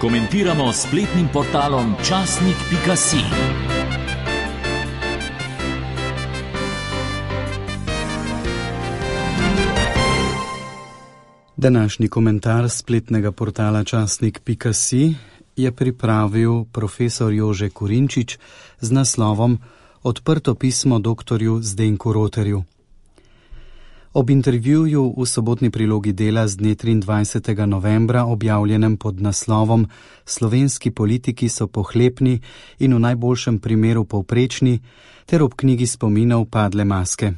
komentiramo s spletnim portalom časnik.si. Današnji komentar spletnega portala časnik.si je pripravil profesor Jože Kurinčič z naslovom Odprto pismo doktorju Zdenku Roterju. Ob intervjuju v sobotni prilogi Dela z dne 23. novembra, objavljenem pod naslovom Slovenski politiki so pohlepni in v najboljšem primeru povprečni, ter ob knjigi spominov Padle maske.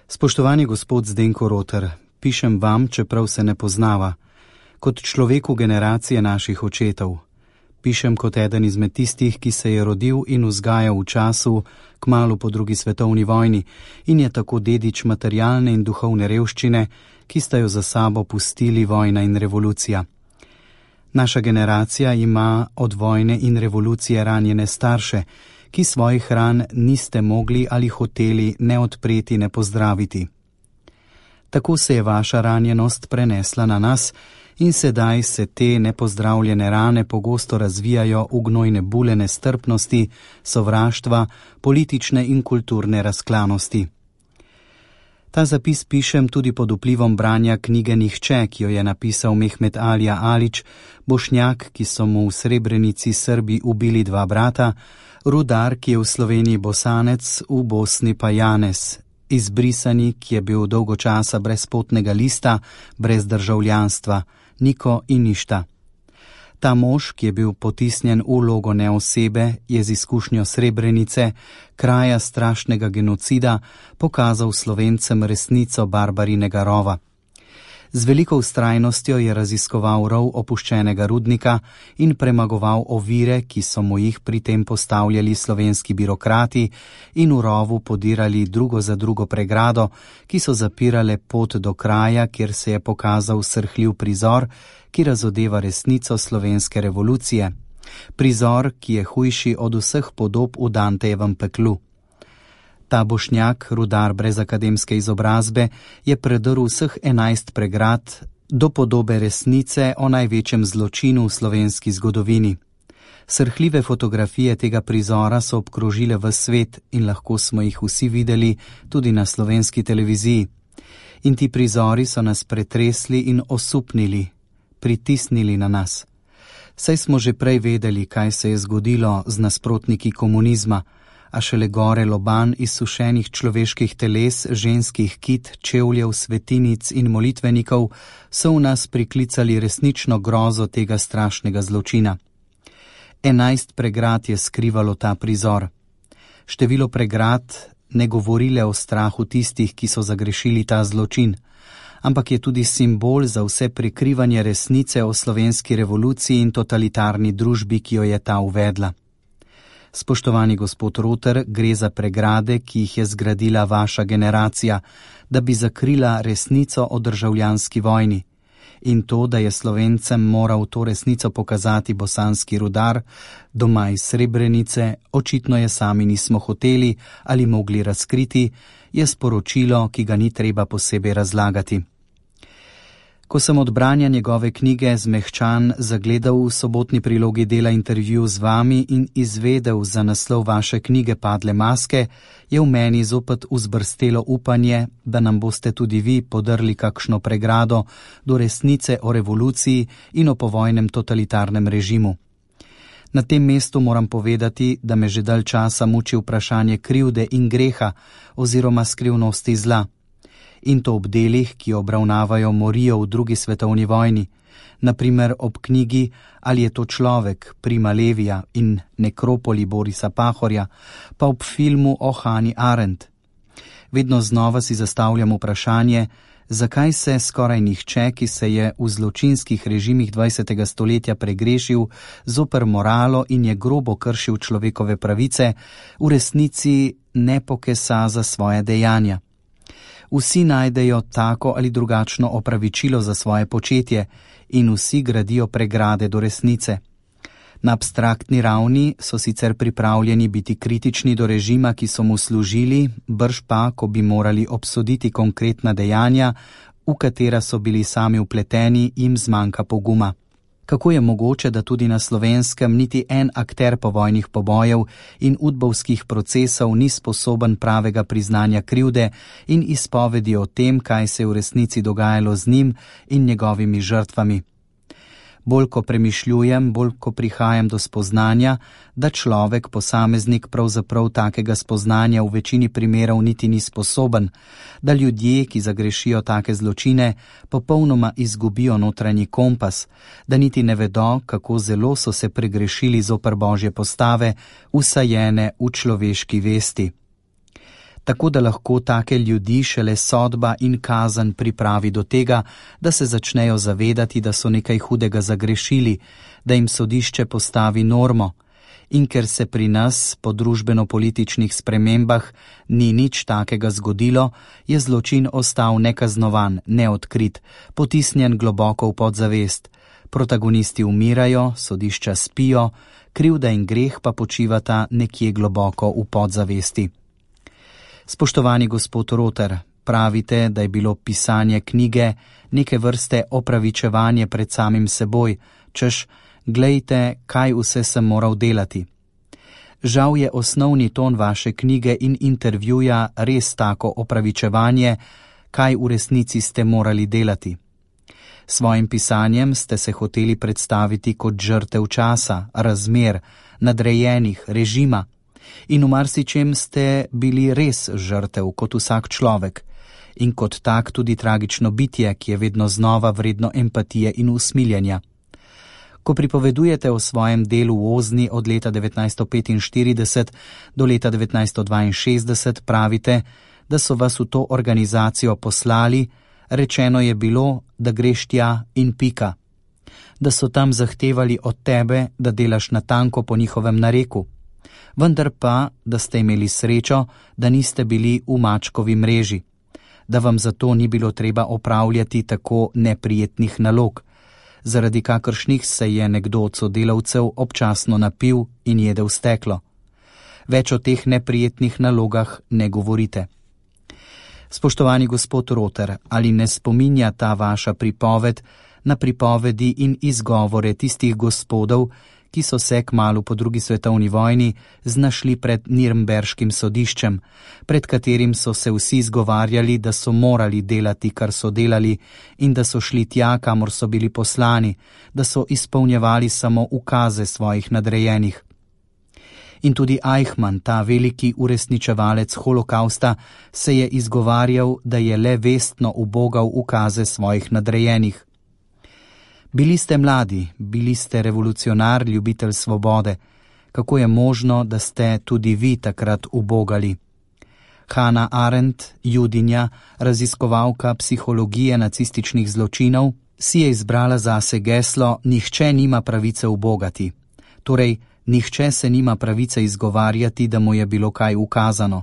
Spoštovani gospod Zdenko Roter, pišem vam, čeprav se ne poznava, kot človeku generacije naših očetov. Pišem kot eden izmed tistih, ki se je rodil in vzgajal v času kmalu po drugi svetovni vojni in je tako dedič materialne in duhovne revščine, ki sta jo za sabo pustili vojna in revolucija. Naša generacija ima od vojne in revolucije ranjene starše, ki svojih ran niste mogli ali hoteli ne odpreti, ne pozdraviti. Tako se je vaša ranjenost prenesla na nas in sedaj se te nepozdravljene rane pogosto razvijajo v gnojne bule nestrpnosti, sovraštva, politične in kulturne razklanosti. Ta zapis pišem tudi pod vplivom branja knjige Nihče, ki jo je napisal Mehmet Alija Alić, Bošnjak, ki so mu v Srebrenici Srbi ubili dva brata, Rudar, ki je v Sloveniji Bosanec, v Bosni pa Janez, izbrisani, ki je bil dolgo časa brez potnega lista, brez državljanstva, Niko in Ništa. Ta mož, ki je bil potisnjen v vlogo neosebe, je z izkušnjo Srebrenice, kraja strašnega genocida, pokazal Slovencem resnico barbarinega rova. Z veliko vztrajnostjo je raziskoval rov opuščenega rudnika in premagoval ovire, ki so mu jih pri tem postavljali slovenski birokrati in v rovu podirali drugo za drugo pregrado, ki so zapirale pot do kraja, kjer se je pokazal srhljiv prizor, ki razodeva resnico slovenske revolucije. Prizor, ki je hujši od vseh podob v Dantejevem peklu. Ta Bošnjak, Rudar brez akademske izobrazbe, je predrl vseh 11 pregrad do podobe resnice o največjem zločinu v slovenski zgodovini. Srhljive fotografije tega prizora so obkrožile ves svet in lahko smo jih vsi videli tudi na slovenski televiziji. In ti prizori so nas pretresli in osupnili, pritisnili na nas. Saj smo že prej vedeli, kaj se je zgodilo z nasprotniki komunizma, a šele gore loban izsušenih človeških teles, ženskih kit, čevljev, svetinic in molitvenikov so v nas priklicali resnično grozo tega strašnega zločina. 11 pregrad je skrivalo ta prizor. Število pregrad ne govorile o strahu tistih, ki so zagrešili ta zločin, ampak je tudi simbol za vse prikrivanje resnice o slovenski revoluciji in totalitarni družbi, ki jo je ta uvedla. Spoštovani gospod Roter, gre za pregrade, ki jih je zgradila vaša generacija, da bi zakrila resnico o državljanski vojni. In to, da je Slovencem moral to resnico pokazati bosanski Rudar, doma iz Srebrenice, očitno je sami nismo hoteli ali mogli razkriti, je sporočilo, ki ga ni treba posebej razlagati. Ko sem od branja njegove knjige zmehčan zagledal v sobotni prilogi Dela intervju z vami in izvedel za naslov vaše knjige Padle maske, je v meni zopet vzbrstelo upanje, da nam boste tudi vi podrli kakšno pregrado do resnice o revoluciji in o povojnem totalitarnem režimu. Na tem mestu moram povedati, da me že dalj časa muči vprašanje krivde in greha oziroma skrivnosti zla. In to ob delih, ki obravnavajo morijo v drugi svetovni vojni, naprimer ob knjigi Ali je to človek Prima Levija in Nekropoli Borisa Pahorja, pa ob filmu o Hani Arendt. Vedno znova si zastavljam vprašanje, zakaj se skoraj nihče, ki se je v zločinskih režimih 20. stoletja pregrešil zoper moralo in je grobo kršil človekove pravice, v resnici ne pokesa za svoje dejanja. Vsi najdejo tako ali drugačno opravičilo za svoje početje in vsi gradijo pregrade do resnice. Na abstraktni ravni so sicer pripravljeni biti kritični do režima, ki so mu služili, brž pa, ko bi morali obsoditi konkretna dejanja, v katera so bili sami vpleteni, jim zmanjka poguma. Kako je mogoče, da tudi na Slovenskem niti en akter povojnih pobojev in udbovskih procesov ni sposoben pravega priznanja krivde in izpovedi o tem, kaj se je v resnici dogajalo z njim in njegovimi žrtvami? Bolj ko premišljujem, bolj ko prihajam do spoznanja, da človek, posameznik pravzaprav takega spoznanja v večini primerov niti ni sposoben, da ljudje, ki zagrešijo take zločine, popolnoma izgubijo notranji kompas, da niti ne vedo, kako zelo so se pregrešili zoper Božje postave, vsajene v človeški vesti. Tako da lahko take ljudi šele sodba in kazen pripravi do tega, da se začnejo zavedati, da so nekaj hudega zagrešili, da jim sodišče postavi normo. In ker se pri nas po družbeno-političnih spremembah ni nič takega zgodilo, je zločin ostal nekaznovan, neodkrit, potisnjen globoko v podzavest. Protagonisti umirajo, sodišča spijo, krivda in greh pa počivata nekje globoko v podzavesti. Spoštovani gospod Roter, pravite, da je bilo pisanje knjige neke vrste opravičevanje pred samim seboj, češ, glejte, kaj vse sem moral delati. Žal je osnovni ton vaše knjige in intervjuja res tako opravičevanje, kaj v resnici ste morali delati. Svojim pisanjem ste se hoteli predstaviti kot žrtev časa, razmer, nadrejenih, režima. In v marsičem ste bili res žrtev, kot vsak človek, in kot tak tudi tragično bitje, ki je vedno znova vredno empatije in usmiljenja. Ko pripovedujete o svojem delu v Ozni od leta 1945 do leta 1962, pravite, da so vas v to organizacijo poslali, rečeno je bilo, da greš tja in pika. Da so tam zahtevali od tebe, da delaš natanko po njihovem nareku. Vendar pa, da ste imeli srečo, da niste bili v mačkovi mreži, da vam zato ni bilo treba opravljati tako neprijetnih nalog, zaradi kakršnih se je nekdo od sodelavcev občasno napil in jedel steklo. Več o teh neprijetnih nalogah ne govorite. Spoštovani gospod Roter, ali ne spominja ta vaša pripoved na pripovedi in izgovore tistih gospodov, ki so se kmalu po drugi svetovni vojni znašli pred Nirnberškim sodiščem, pred katerim so se vsi izgovarjali, da so morali delati, kar so delali, in da so šli tja, kamor so bili poslani, da so izpolnjevali samo ukaze svojih nadrejenih. In tudi Eichmann, ta veliki uresničevalec holokausta, se je izgovarjal, da je le vestno ubogal ukaze svojih nadrejenih. Bili ste mladi, bili ste revolucionar, ljubitelj svobode. Kako je možno, da ste tudi vi takrat ubogali? Hannah Arendt, judinja, raziskovalka psihologije nacističnih zločinov, si je izbrala zase geslo: nihče nima pravice ubogati. Torej, nihče se nima pravice izgovarjati, da mu je bilo kaj ukazano.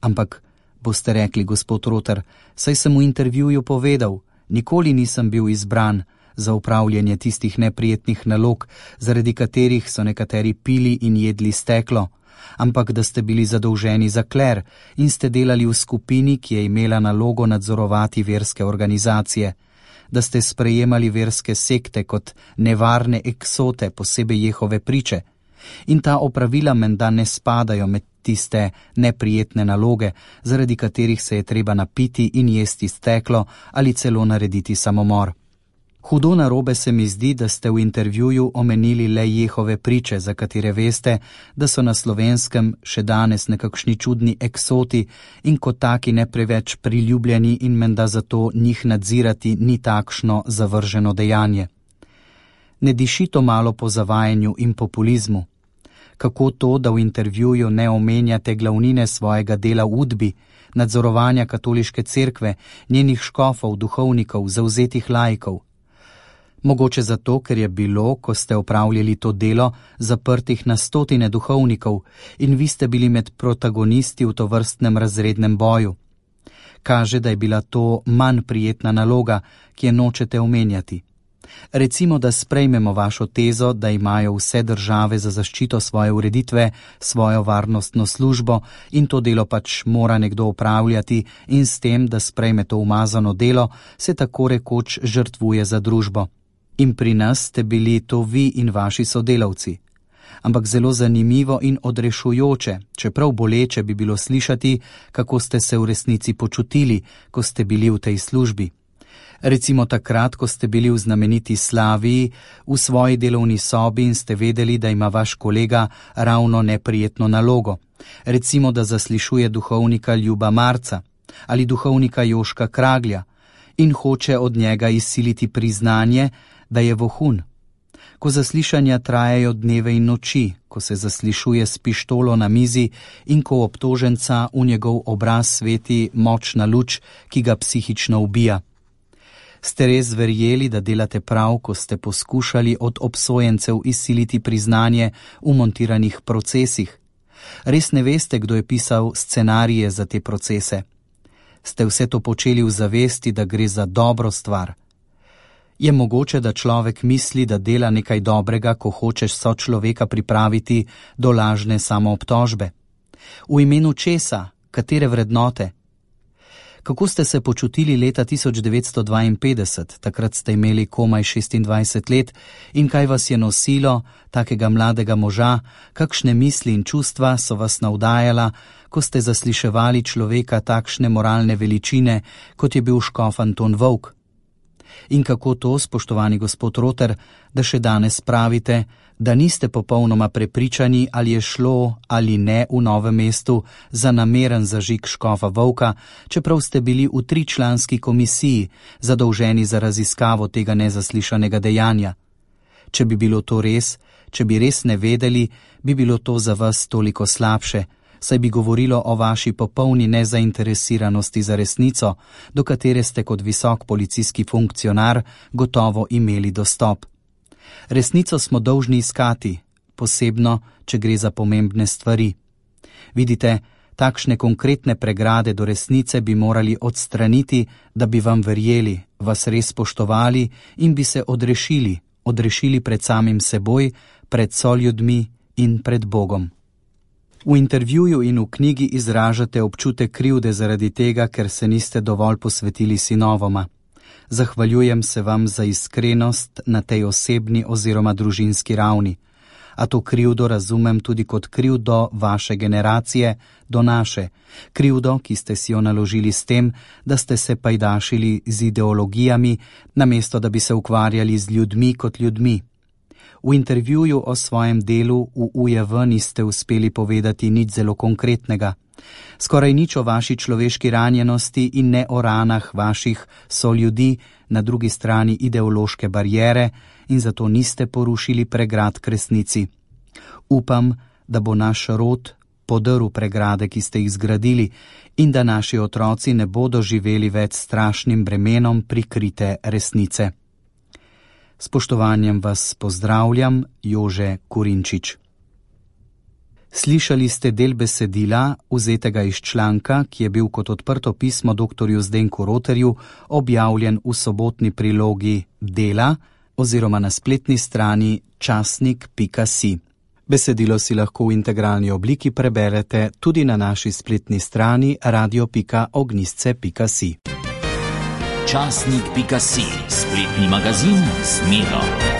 Ampak, boste rekli, gospod Roter, saj sem v intervjuju povedal, nikoli nisem bil izbran za upravljanje tistih neprijetnih nalog, zaradi katerih so nekateri pili in jedli steklo, ampak da ste bili zadolženi za kler in ste delali v skupini, ki je imela nalogo nadzorovati verske organizacije, da ste sprejemali verske sekte kot nevarne eksote, posebej Jehove priče. In ta opravila menda ne spadajo med tiste neprijetne naloge, zaradi katerih se je treba napiti in jesti steklo ali celo narediti samomor. Hudo narobe se mi zdi, da ste v intervjuju omenili le Jehove priče, za katere veste, da so na Slovenskem še danes nekakšni čudni eksoti in kot taki ne preveč priljubljeni in menda zato njih nadzirati ni takšno zavrženo dejanje. Ne diši to malo po zavajanju in populizmu? Kako to, da v intervjuju ne omenjate glavnine svojega dela v Udbi, nadzorovanja katoliške cerkve, njenih škofov, duhovnikov, zavzetih laikov? Mogoče zato, ker je bilo, ko ste opravljali to delo, zaprtih na stotine duhovnikov in vi ste bili med protagonisti v tovrstnem razrednem boju. Kaže, da je bila to manj prijetna naloga, ki je nočete omenjati. Recimo, da sprejmemo vašo tezo, da imajo vse države za zaščito svoje ureditve svojo varnostno službo in to delo pač mora nekdo opravljati in s tem, da sprejme to umazano delo, se tako rekoč žrtvuje za družbo. In pri nas ste bili to vi in vaši sodelavci. Ampak zelo zanimivo in odrešujoče, čeprav boleče bi bilo slišati, kako ste se v resnici počutili, ko ste bili v tej službi. Recimo takrat, ko ste bili v znameniti Slaviji, v svoji delovni sobi in ste vedeli, da ima vaš kolega ravno neprijetno nalogo. Recimo, da zaslišuje duhovnika Ljuba Marca ali duhovnika Joška Kraglja in hoče od njega izsiliti priznanje, da je vohun. Ko zaslišanja trajajo dneve in noči, ko se zaslišuje s pištolo na mizi in ko obtoženca v njegov obraz sveti močna luč, ki ga psihično ubija. Ste res verjeli, da delate prav, ko ste poskušali od obsojencev izsiliti priznanje v montiranih procesih? Res ne veste, kdo je pisal scenarije za te procese? Ste vse to počeli v zavesti, da gre za dobro stvar? Je mogoče, da človek misli, da dela nekaj dobrega, ko hočeš sočloveka pripraviti do lažne samoobtožbe? V imenu česa? Katere vrednote? Kako ste se počutili leta 1952, takrat ste imeli komaj 26 let, in kaj vas je nosilo, takega mladega moža, kakšne misli in čustva so vas navdajala, ko ste zasliševali človeka takšne moralne veličine, kot je bil škof Anton Volk? In kako to, spoštovani gospod Roter, da še danes pravite, da niste popolnoma prepričani, ali je šlo ali ne v Novem mestu za nameren zažig škofa Volka, čeprav ste bili v 3-članski komisiji zadolženi za raziskavo tega nezaslišanega dejanja? Če bi bilo to res, če bi res ne vedeli, bi bilo to za vas toliko slabše, saj bi govorilo o vaši popolni nezainteresiranosti za resnico, do katere ste kot visok policijski funkcionar gotovo imeli dostop. Resnico smo dolžni iskati, posebno, če gre za pomembne stvari. Vidite, takšne konkretne pregrade do resnice bi morali odstraniti, da bi vam verjeli, vas res spoštovali in bi se odrešili pred samim seboj, pred soljudmi in pred Bogom. V intervjuju in v knjigi izražate občutek krivde zaradi tega, ker se niste dovolj posvetili sinovoma. Zahvaljujem se vam za iskrenost na tej osebni oziroma družinski ravni. A to krivdo razumem tudi kot krivdo vaše generacije do naše, krivdo, ki ste si jo naložili s tem, da ste se pajdašili z ideologijami, namesto da bi se ukvarjali z ljudmi kot ljudmi. V intervjuju o svojem delu v UJV niste uspeli povedati nič zelo konkretnega. Skoraj nič o vaši človeški ranjenosti in ne o ranah vaših soljudi na drugi strani ideološke bariere in zato niste porušili pregrad k resnici. Upam, da bo naš rod podrl pregrade, ki ste jih zgradili, in da naši otroci ne bodo živeli več strašnim bremenom prikrite resnice. Spoštovanjem vas pozdravljam, Jože Kurinčič. Slišali ste del besedila, vzetega iz članka, ki je bil kot odprto pismo dr. Zdenku Roterju objavljen v sobotni prilogi Dela oziroma na spletni strani časnik.si. Besedilo si lahko v integralni obliki preberete tudi na naši spletni strani radio.ognjisce.si. Časnik.si, spletni magazin z Miro.